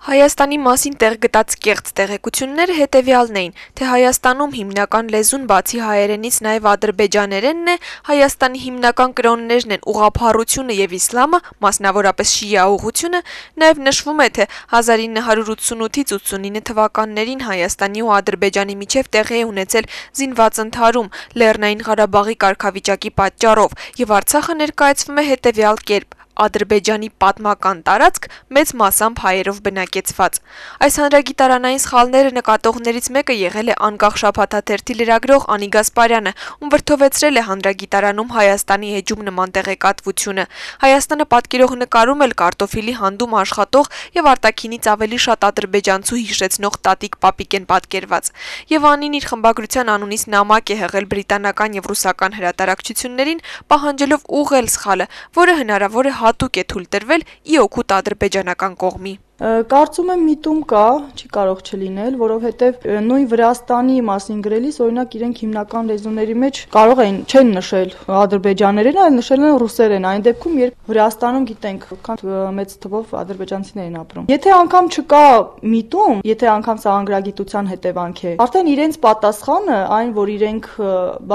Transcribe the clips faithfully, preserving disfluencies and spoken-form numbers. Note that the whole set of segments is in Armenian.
Հայաստանի մասին տեղ գտած կեղծ տեղեկությունները հետևյալն էին, թե Հայաստանում հիմնական լեզուն բացի հայերենից նաև ադրբեջաներենն է, Հայաստանի հիմնական կրոններն են ուղղափառությունը եւ իսլամը, մասնավորապես շիա ուղղությունը, նաև նշվում է, թե հազար ինը հարյուր ութսունութից ութսունինը թվականներին Հայաստանի ու Ադրբեջանի միջև տեղի է ունեցել զինված ընդհարում Լեռնային Ղարաբաղի կարգավիճակի պատճառով եւ Արցախը ներկայացվում է հետևյալ կերպ. Ադրբեջանի պատմական տարածք մեծ մասամբ հայերով բնակեցված։ Այս հանրագիտարանային սխալները նկատողներից մեկը եղել է անկախ շաբաթաթերթի լրագրող Անի Գասպարյանը, ում վրդովեցրել է հանրագիտարանում Հայաստանի էջում նման տեղեկատվությունը։ Հայաստանը պատկերող նկարում էլ կարտոֆիլի հանդում աշխատող եւ արտաքինից ավելի շատ ադրբեջանցու հիշեցնող տատիկ պապիկ են պատկերված։ Եվ Անին իր խմբագրության անունից նամակ է հղել բրիտանական եւ ռուսական հրատարակչություններին, պահանջելով ուղղել սխալը, որը հնարավոր է հատուկ է թույլ տրվել ի օգուտ ադրբեջանական կողմի։ Կարծում եմ միտում կա, չի կարող չլինել, որովհետև նույն Վրաստանի մասին գրելիս, օրինակ իրենք հիմնական լեզուների մեջ կարող են չեն նշել ադրբեջաներեն, այլ նշել են ռուսերեն, այն դեպքում, երբ Վրաստանում գիտենք, որքան մեծ թվով ադրբեջանցիներ են ապրում։ Եթե անգամ չկա միտում, եթե անգամ սա անգրագիտության հետևանք է, արդեն իրենց պատասխանը, այն որ իրենք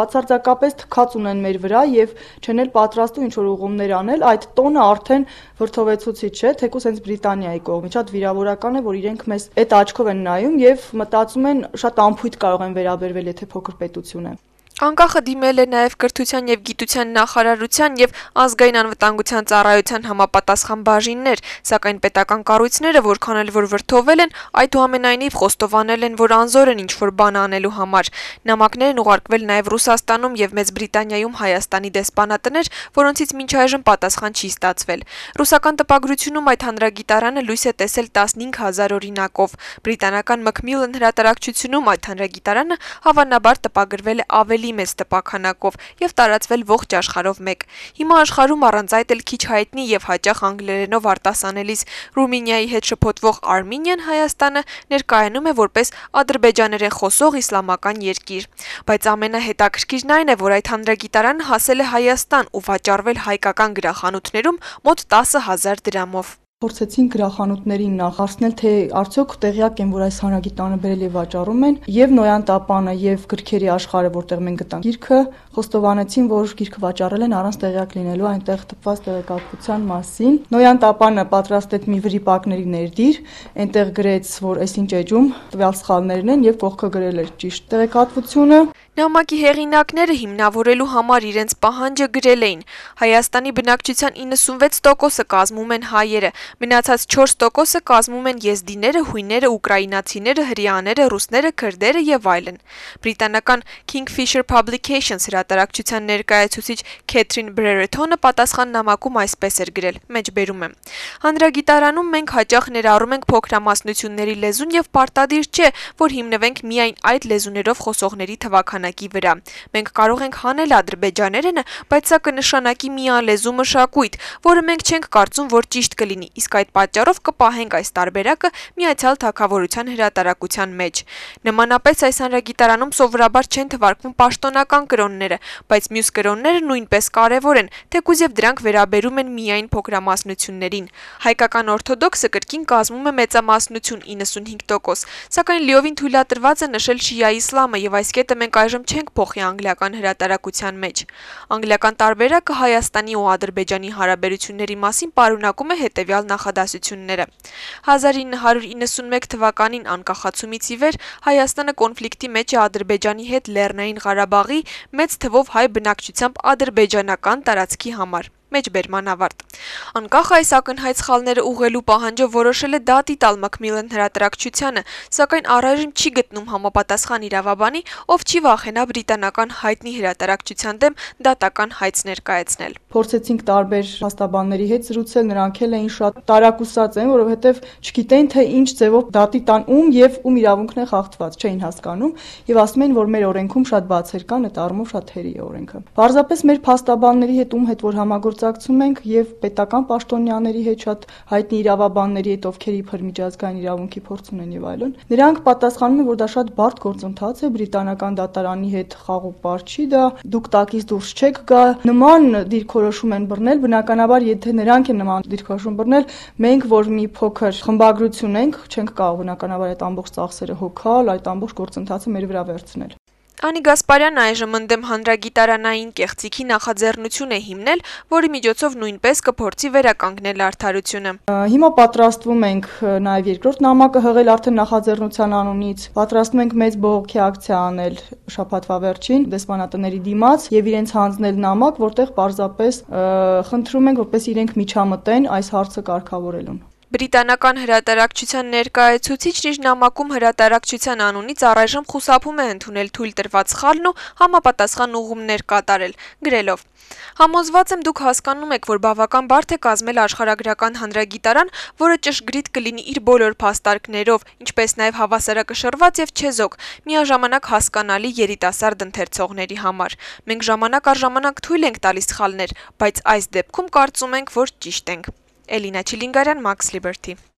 բացարձակապես թքած ունեն մեր վրա եւ չեն էլ պատրաստում ինչ որ ուղումներ անել, այդ տոնը արդեն վրդովեցուցիչ է, թեկուզ հենց Բրիտանիայի կողմից շատ վիրավորական է, որ իրենք մեզ այդ աչքով են նայում եւ մտածում են շատ անփույթ կարող են վերաբերվել, եթե փոքր պետություն է։ Անկախը դիմել է նաև կրթության եւ գիտության նախարարության եւ ազգային անվտանգության ծառայության համապատասխան բաժիններ, սակայն պետական կառույցները, որքան էլ որ վրդովել են, այդուամենայնիվ խոստովանել են, որ անզոր են ինչ-որ բան անելու համար։ Նամակներ են ուղարկվել նաև Ռուսաստանում եւ Մեծ Բրիտանիայում Հայաստանի դեսպանատներ, որոնցից մինչ այժմ պատասխան չի ստացվել։ Ռուսական տպագրությունում այդ հանրագիտարանը լույս է տեսել տասնհինգ հազար օրինակով։ Բրիտանական Macmillan հրատարակչությունում այդ հանրագիտարանը հավանաբար տպագրվել է ավելի մեծ տպաքանակով եւ տարածվել ողջ աշխարհով մեկ։ Հիմա աշխարհում առանց այդ էլ քիչ հայտնի եւ հաճախ անգլերենով արտասանելիս Ռումինիայի հետ շփոթվող Արմենիան Հայաստանը ներկայանում է որպես ադրբեջաներեն խոսող իսլամական երկիր։ Բայց ամենահետաքրքիրն այն է, որ այդ հանրագիտարանը հասել է Հայաստան ու վաճառվել հայկական գրախանութներում մոտ տասը հազար դրամով։ Փորձեցինք գրախանութներին նախ հարցնել, թե արդյոք տեղյակ են, որ այս հանրագիտարանը բերել եւ վաճառում են, եւ Նոյան Տապանը եւ գրքերի աշխարհը, որտեղ մենք գտանք գիրքը, խոստովանեցին, որ գիրքը վաճառել են առանց տեղյակ լինելու այնտեղ տպված տեղեկատվության մասին։ Նոյան Տապանը պատրաստեց մի վրիպակների ներդիր, այնտեղ գրեց, որ այսինչ էջում տվյալ սխալներն են եւ կողքը գրել էր ճիշտ տեղեկատվությունը։ Նամակի հեղինակները հիմնավորելու համար իրենց պահանջը գրել էին. Հայաստանի բնակչության իննսունվեց տոկոսը կազմում են հայերը, մնացած չորս տոկոսը կազմում են եզդիները, հույները, ուկրաինացիները, հրեաները, ռուսները, քրդերը եւ այլն։ Բրիտանական Kingfisher Publications հրատարակչության ներկայացուցիչ Քեթրին Բրերեթոնը պատասխան նամակում այսպես էր գրել. մեջբերում եմ. Հանրագիտարանում մենք հաճախ ներառում ենք փոքրամասնությունների լեզուն եւ պարտադիր չէ, որ հիմնվենք միայն այդ լեզուներով խոսողների թվաքանակի վրա։ Մենք կարող ենք հանել ադրբեջաներենը, բայց սա կնշանակի միալեզու մշակույթ, որը մենք չենք կարծում, որ ճիշտ կլինի, իսկ այդ պատճառով կպահենք այս տարբերակը Միացյալ Թագավորության հրատարակության մեջ։ Նմանապես այս հանրագիտարանում սովորաբար չեն թվարկվում պաշտոնական կրոնները, բայց մյուս կրոնները նույնպես կարևոր են, թեկուզ եւ դրանք վերաբերում են միայն փոքրամասնություններին։ Հայկական օրթոդոքսը կրկին կազմում է մեծամասնություն իննսունհինգ տոկոս, սակայն լիովին թույլատրված է նշել շիա իսլամը եւ այս կետը մենք այժմ չենք փոխի անգլիական հրատարակության մեջ։ Անգլիական տարբերակը Հայաստանի ու Ադրբեջանի հարաբերությունների մասին պարունակում է հետևյալ նախադասությունները։ հազար ինը հարյուր իննսունմեկ թվականին անկախացումից ի վեր Հայաստանը կոնֆլիկտի մեջ է Ադրբեջանի հետ Լեռնային Ղարաբաղի մեծ թվով հայ բնակչությամբ ադրբեջանական տարածքի համար։ Մեջբերման ավարտ։ Անկախ այս ակնհայտ սխալները ուղղելու պահանջով որոշել է դատի տալ Macmillan հրատարակչությանը, սակայն առայժմ չի գտնում համապատասխան իրավաբանի, ով չի վախենա բրիտանական հայտնի հրատարակչության դեմ դատական հայց ներկայացնել։ Փորձեցինք տարբեր փաստաբանների հետ զրուցել, նրանք էլ էին շատ տարակուսած են, որովհետև չգիտեն թե ինչ ձևով դատի տան ում եւ ում իրավունքն է խախտված, չէին հասկանում եւ ասում են, որ մեր օրենքում շատ բացեր կան, այդ առումով շատ հերի է օրենքը։ Պարզապես մեր փաստաբանների հետ ում հետ որ համագործ համագործակցում ենք եւ պետական պաշտոնյաների հետ, շատ հայտնի իրավաբանների հետ, ովքեր իբր միջազգային իրավունքի փորձ ունեն եւ այլն։ Նրանք պատասխանում են, որ դա շատ բարդ գործընթաց է, բրիտանական դատարանի հետ խաղ ու պար չի դա, դուք տակից դուրս չեք գա։ Նման դիրքորոշում են բռնել, բնականաբար, եթե նրանք են նման դիրքորոշում բռնել, մենք որ մի փոքր խմբագրություն ենք, չենք կարող բնականաբար այդ ամբողջ ծախսերը հոգալ, այդ ամբողջ գործընթացը մեր վրա վերցնել։ Անի Գասպարյանը այժմ ընդդեմ հանրագիտարանային կեղծիքի նախաձեռնություն է հիմնել, որի միջոցով նույնպես կփորձի վերականգնել արդարությունը։ Հիմա պատրաստվում ենք նաև երկրորդ նամակը հղել արդեն նախաձեռնության անունից, պատրաստվում ենք մեծ բողոքի ակցիա անել շաբաթվա վերջին դեսպանատների դիմաց եւ իրենց հանձնել նամակ, որտեղ պարզապես խնդրում ենք, որպես իրենք միջամտեն այս հարցը կարգավորելուն։ Բրիտանական հրատարակչության ներկայացուցիչն իր նամակում հրատարակչության անունից առայժմ խուսափում է ընդունել թույլ տրված խալն ու համապատասխան ուղղումներ կատարել, գրելով. Համոզված եմ դուք հասկանում եք, որ բավական բարդ է կազմել աշխարհագրական հանրագիտարան, որը ճշգրիտ կլինի իր բոլոր փաստարկներով, ինչպես նաև հավասարակշռված եւ չեզոք, միաժամանակ հասկանալի երիտասարդ ընթերցողների համար։ Մենք ժամանակ առ ժամանակ թույլ ենք տալիս սխալներ, բայց այս դեպքում կարծում ենք, որ ճիշտ ենք։ Էլինա Չիլինգարյան, Max Liberty։